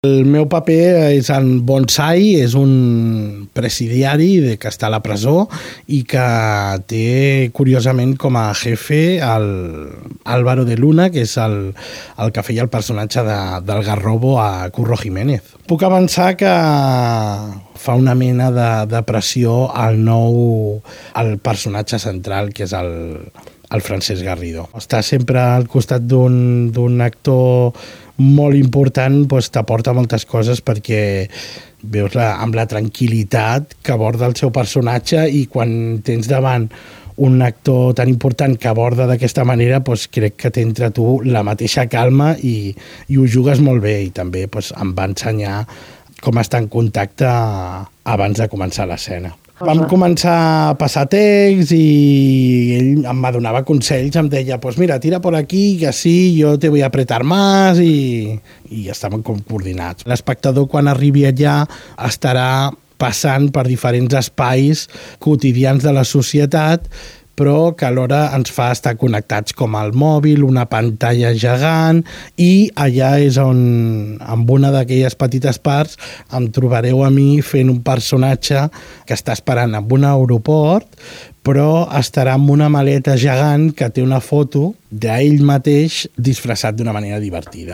El meu paper és en Bonsai, és un presidiari que està a la presó i que té, curiosament, com a jefe Álvaro de Luna, que és el que feia el personatge del Garrobo a Curro Jiménez. Puc avançar que fa una mena de pressió al personatge central, que és el Francesc Garrido. Estar sempre al costat d'un actor molt important t'aporta moltes coses perquè veus amb la tranquil·litat que aborda el seu personatge, i quan tens davant un actor tan important que aborda d'aquesta manera, crec que t'entra a tu la mateixa calma i ho jugues molt bé, i també em va ensenyar com estar en contacte abans de començar l'escena. Vam començar a passar text i ell em donava consells, em deia, mira, tira por aquí, que así yo te voy a apretar más, i estaven com coordinats. L'espectador, quan arribi allà, estarà passant per diferents espais quotidians de la societat, però que alhora ens fa estar connectats com el mòbil, una pantalla gegant, i allà és on, amb una d'aquelles petites parts, em trobareu a mi fent un personatge que està esperant en un aeroport, però estarà amb una maleta gegant que té una foto d'ell mateix disfressat d'una manera divertida.